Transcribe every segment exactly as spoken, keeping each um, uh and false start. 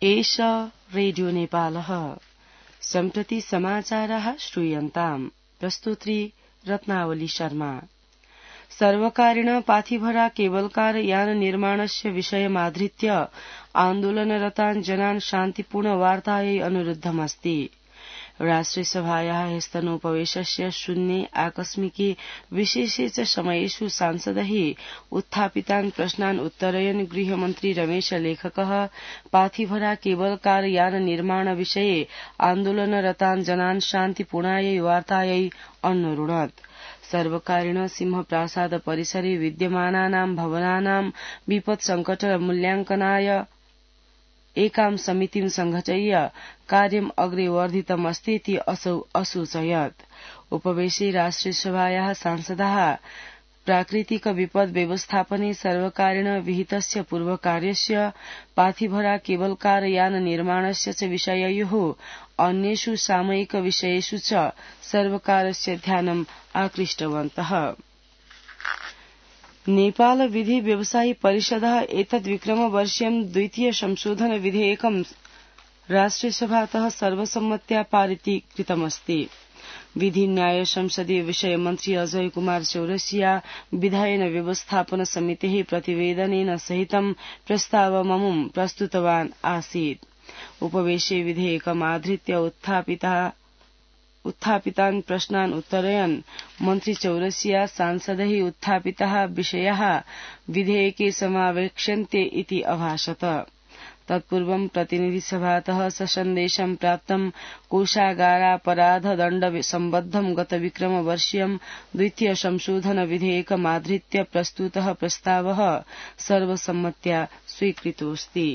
एष रेडियो नेपालः। सम्प्रति समाचाराः श्रूयन्ताम्। प्रस्तुत्री रत्नावली शर्मा। सर्वकारेण पाथिभरा केबलकार यान निर्माणस्य विषयमाधृत्य आन्दोलनरतान् जनान् शान्तिपूर्ण वार्तायै अनुरुद्धमस्ति। राष्ट्रियसभायाः ह्यस्तनोपवेशस्य शून्ये आकस्मिके विशेषे च समयेषु सांसदैः उत्थापितान् प्रश्नान् उत्तरयन् गृहमन्त्री रमेश लेखकः पाथिभरा केबलकार यान निर्माण विषये आन्दोलनरतान् जनान् शान्तिपूर्णायै वार्तायै अन्वरुणत्। सर्वकारेण सिंहप्रासाद परिसरे विद्यमानानां भवनानां विपत् संकट मूल्याङ्कनाय एकां समितिं संघटय्य कार्यम् अग्रे वर्धितमस्तीति असौ असूचयत्। उपवेशे राष्ट्रियसभायाः सांसदाः प्राकृतिक विपद् व्यवस्थापने सर्वकारेण विहितस्य पूर्वकार्यस्य पाथिभरा केबलकार यान निर्माणस्य च विषययोः अन्येषु सामयिक विषयेषु च सर्वकारस्य ध्यानम् आकृष्टवन्तः। नेपाल विधि व्यवसायी परिषदः एतद्विक्रमवर्षीयं द्वितीय संशोधन विधेयकं राष्ट्रियसभातः सर्वसम्मत्या पारितीकृतमस्ति। विधि न्याय संसदीय विषय मन्त्री अजय कुमार चौरसिया विधायन व्यवस्थापन समितेः प्रतिवेदनेन सहितं प्रस्तावममुं प्रस्तुतवान् आसीत्। उपवेशे विधेयकमाधृत्य उत्थापिता उत्थापितान् प्रश्नान् उत्तरयन् मन्त्री चौरसिया सांसदैः उत्थापिताः विषयाः विधेयके समावेक्ष्यन्ते इति अभाषत। तत्पूर्वं प्रतिनिधिसभातः ससन्देशं प्राप्तं कोषागारापराधदण्ड सम्बद्धं गतविक्रमवर्षीयं द्वितीय संशोधन विधेयकमाधृत्य प्रस्तुतः प्रस्तावः सर्वसम्मत्या स्वीकृतोऽस्ति।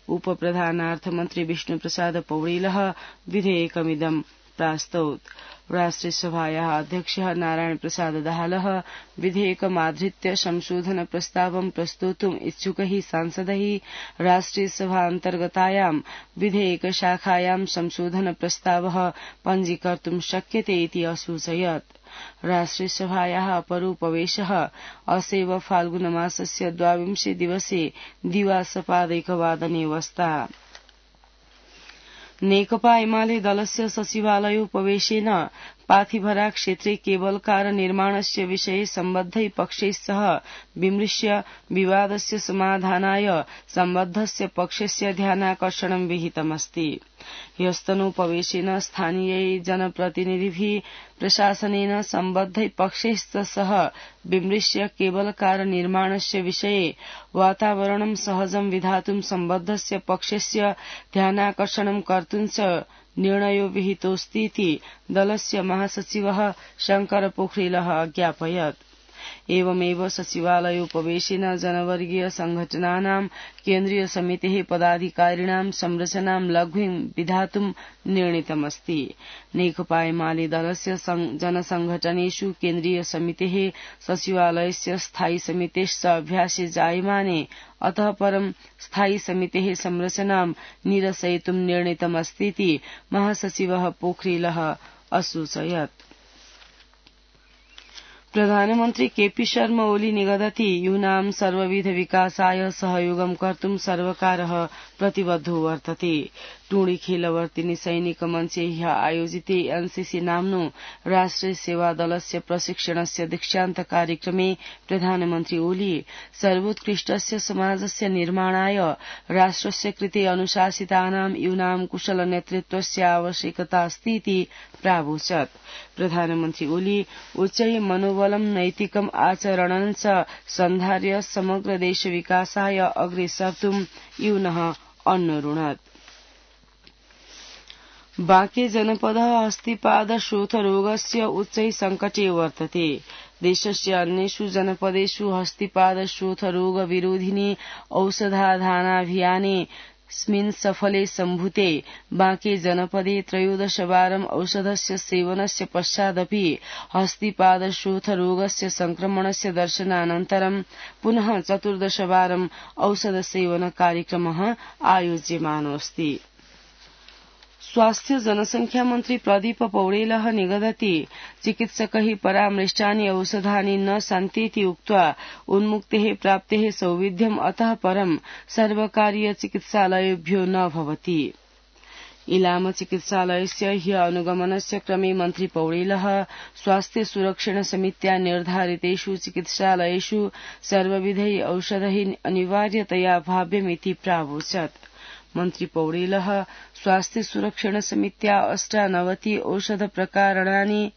उपप्रधानार्थमन्त्री विष्णुप्रसाद पौडेलः विधेयकमिदं प्रास्तौत्। राष्ट्रियसभायाः अध्यक्षः नारायण प्रसाद दाहालः विधेयकमाधृत्य संशोधन प्रस्तावं प्रस्तोतुम् इच्छुकैः सांसदैः राष्ट्रियसभान्तर्गतायां विधेयकशाखायां संशोधन प्रस्तावः पञ्जीकर्तुं शक्यते इति असूचयत्। राष्ट्रियसभायाः अपरोपवेशः असैव फाल्गुनमासस्य द्वाविंशे दिवसे दिवासपादैकवादने वस्ता। नेकपा एमाले दलस्य सचिवालयोपवेशेन पाथिभरा क्षेत्रे केबलकार निर्माणस्य विषये सम्बद्धै पक्षैः सह विमृश्य विवादस्य समाधानाय सम्बद्धस्य पक्षस्य ध्यानाकर्षणं विहितमस्ति। ह्यस्तनोपवेशेन स्थानीय जनप्रतिनिधिभिः प्रशासनेन सम्बद्धै पक्षैः सह विमृश्य केबलकार निर्माणस्य विषये वातावरणं सहजं विधातुं सम्बद्धस्य पक्षस्य ध्यानाकर्षणं कर्तुं च निर्णयो विहितोऽस्तीति दलस्य महासचिवः शंकर पोखरेलः अज्ञापयत्। एवमेव सचिवालयोपवेशेन जनवर्गीय संघटनानां केन्द्रीय समितेः पदाधिकारिणां संरचनां लघ्वीं विधातुं निर्णीतमस्ति। नेकपा एमाले दलस्य जनसंघटनेषु केन्द्रीय समितेः सचिवालयस्य स्थायी समितेश्च अभ्यासे जायमाने अतः परं स्थायी समितेः संरचनां निरसयितुं निर्णीतमस्तीति महासचिवः पोखरेलः असूचयत्। प्रधानमन्त्री केपी शर्मा ओली निगदति यूनां सर्वविध विकासाय सहयोगं कर्तुं सर्वकारः प्रतिबद्धो वर्तते। टुंडी खेलवर्तिनी सैनिक मञ्चे ह्य आयोजिते एनसीसी नाम्नो राष्ट्रिय सेवा दलस्य प्रशिक्षणस्य दीक्षान्त कार्यक्रमे प्रधानमन्त्री ओली सर्वोत्कृष्टस्य समाजस्य निर्माणाय राष्ट्रस्य कृते अनुशासितानां यूनां कुशल नेतृत्वस्य आवश्यकता अस्तीति प्रावोचत्। प्रधानमन्त्री ओली उच्चै मनोबलं नैतिकम् आचरणं च सन्धार्य समग्र देश विकासाय अग्रे सर्तुं यूनः अन्वरुणत्। बांके जनपदः अस्थिपाद शोथरोगस्य उच्चै संकटे वर्तते। देशस्य अन्येषु जनपदेषु हस्तिपाद शोथरोग विरोधिनी औषधाधानाभियाने स्मिन् सफले सम्भूते बांके जनपदे त्रयोदशवारम् औषधस्य सेवनस्य पश्चादपि हस्तिपाद शोथरोगस्य संक्रमणस्य दर्शनानन्तरं पुनः चतुर्दशवारम् औषध सेवन कार्यक्रमः आयोज्यमानोऽस्ति। स्वास्थ्य जनसंख्या मन्त्री प्रदीप पौडेलः निगदति चिकित्सकैः परामृष्टानि औषधानि न सन्तीति उक्त्वा उन्मुक्तेः प्राप्तेः सौविध्यम् अतः परं सर्वकारीय चिकित्सालयेभ्यो न भवति। इलाम चिकित्सालयस्य ह्य अनुगमनस्य क्रमे मन्त्री पौडेलः स्वास्थ्य सुरक्षण समित्या निर्धारितेषु चिकित्सालयेषु सर्वविधैः औषधैः अनिवार्यतया भाव्यमिति प्रावोचत्। मन्त्री पौडेलः स्वास्थ्य सुरक्षण समित्या अष्टानवति औषध प्रकारणानि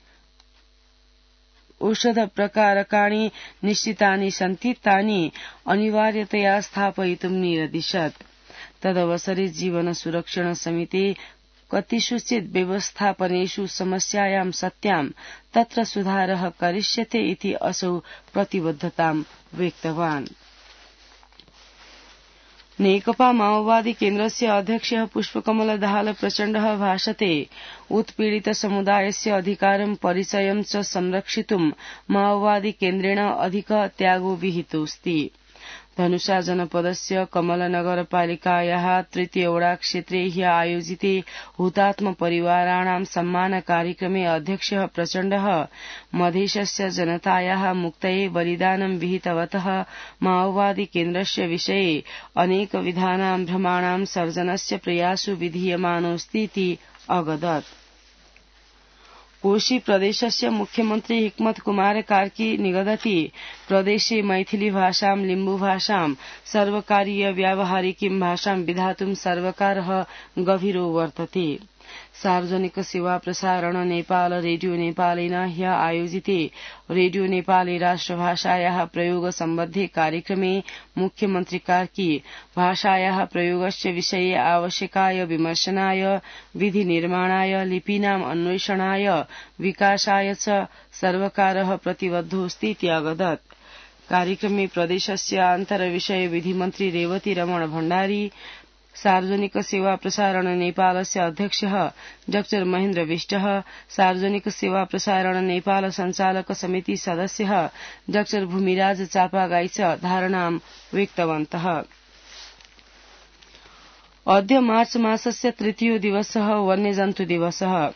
औषध प्रकारकाणि निश्चितानि सन्ति तानि अनिवार्यतया स्थापयितुं निरदिशत्। तदवसरे जीवन सुरक्षण समिते कतिषुचित् व्यवस्थापनेषु समस्यायां सत्यां तत्र सुधारः करिष्यते इति असौ प्रतिबद्धतां व्यक्तवान्। नेकपा माओवादी केन्द्रस्य अध्यक्षः पुष्पकमल दाहाल प्रचण्डः भाषते उत्पीडित समुदायस्य अधिकारं परिचयं च संरक्षितुं माओवादी केन्द्रेण अधिक त्यागो विहितोऽस्ति। धनुषा जनपदस्य कमलनगरपालिकायाः तृतीयवडा क्षेत्रे ह्य आयोजिते हुतात्म परिवाराणां सम्मान कार्यक्रमे अध्यक्षः प्रचण्डः मधेशस्य जनतायाः मुक्तये बलिदानं विहितवतः माओवादी केन्द्रस्य विषये अनेकविधानां भ्रमाणां सर्जनस्य प्रयासो विधीयमानोऽस्तीति अगदत्। कोशी प्रदेशस्य मुख्यमन्त्री हिक्मत कुमार कार्की निगदति प्रदेशे मैथिली भाषां लिम्बु भाषां सर्वकारीय व्यावहारिकीं भाषां विधातुं सर्वकारः गभीरो वर्तते। सार्वजनिक सेवा प्रसारण नेपाल रेडियो नेपालेन ह्य आयोजिते रेडियो नेपाली राष्ट्रभाषायाः प्रयोग सम्बद्धे कार्यक्रमे मुख्यमन्त्री कार्की भाषायाः प्रयोगस्य विषये आवश्यकाय विमर्शनाय विधि निर्माणाय लिपीनाम् अन्वेषणाय विकासाय च सर्वकारः प्रतिबद्धोऽस्तीति अगदत्। कार्यक्रमे प्रदेशस्य आन्तरविषय विधिमन्त्री रेवती रमण भण्डारी, सार्वजनिक सेवा प्रसारण नेपालस्य अध्यक्षः डाक्टर महेन्द्र विष्टः, सार्वजनिक सेवा प्रसारण नेपाल संचालक समिति सदस्यः डाक्टर भूमिराज चापागाई च धारणां व्यक्तवन्तः। अद्य मार्च मासस्य तृतीयो दिवसः वन्यजन्तु दिवसः।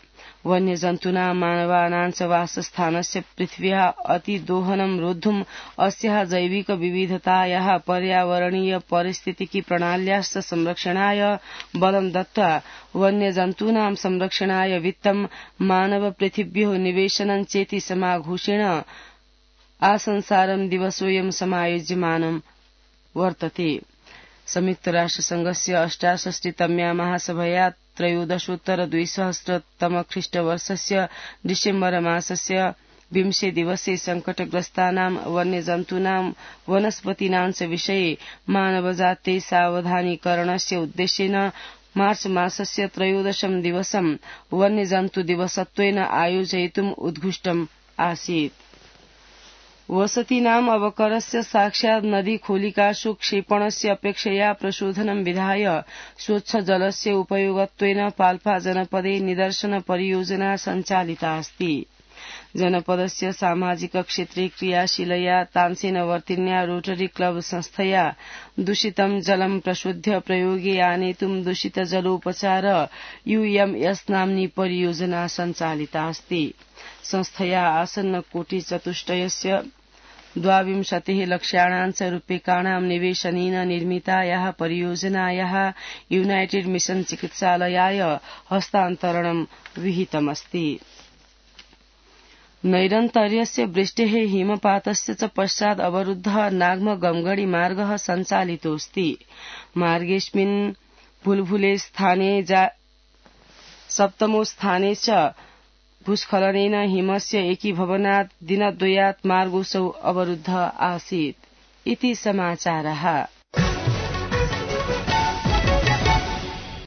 वन्यजन्तूनां मानवानां च वासस्थानस्य पृथिव्याः अतिदोहनं रोद्धुम् अस्याः जैविक विविधतायाः पर्यावरणीय पारिस्थितिकी प्रणाल्याश्च संरक्षणाय बलं दत्त्वा वन्यजन्तूनां संरक्षणाय वित्तं मानव पृथिव्योः निवेशनं चेति समाघोषेण आसंसारं दिवसोऽयं समायोज्यमानं वर्तते। संयुक्त राष्ट्र संघस्य अष्टाषष्टितम्या महासभया त्रयोदशोत्तर द्विसहस्रतम ख्रीष्टवर्षस्य डिसेम्बर मासस्य विंशे दिवसे संकटग्रस्तानां वन्यजन्तूनां वनस्पतीनां च विषये मानवजाते सावधानीकरणस्य उद्देश्येन मार्च मासस्य त्रयोदशं दिवसं वन्यजन्तु दिवसत्वेन आयोजयितुम् उद्घुष्टम् आसीत्। वसतीनाम् अवकरस्य साक्षात् नदी खोलिकासु क्षेपणस्य अपेक्षया प्रशोधनं विधाय स्वच्छ जलस्य उपयोगत्वेन पाल्पा जनपदे निदर्शन परियोजना सञ्चालिता अस्ति। जनपदस्य सामाजिक क्षेत्रे क्रियाशीलया तानसेनवर्तिन्या रोटरी क्लब संस्थया दूषितं जलं प्रशुद्ध्य प्रयोगे आनेतुं दूषित जलोपचार यूएमएस नाम्नी परियोजना सञ्चालिता अस्ति। संस्थया आसन्न कोटि चतुष्टयस्य द्वाविंशतिः लक्ष्याणां च रूप्यकाणां निवेशनेन निर्मितायाः परियोजनायाः यूनाइटेड मिशन चिकित्सालयाय हस्तान्तरणं विहितमस्ति। नैरन्तर्यस्य वृष्टेः हिमपातस्य च पश्चात् अवरुद्धः नाग्म गमगडी मार्गः सञ्चालितोऽस्ति। मार्गेऽस्मिन् भुलभुले स्थाने सप्तमो स्थाने च भूस्खलनेन हिमस्य एकीभवनात् दिनद्वयात् मार्गोऽसौ अवरुद्धः आसीत् इति समाचारः।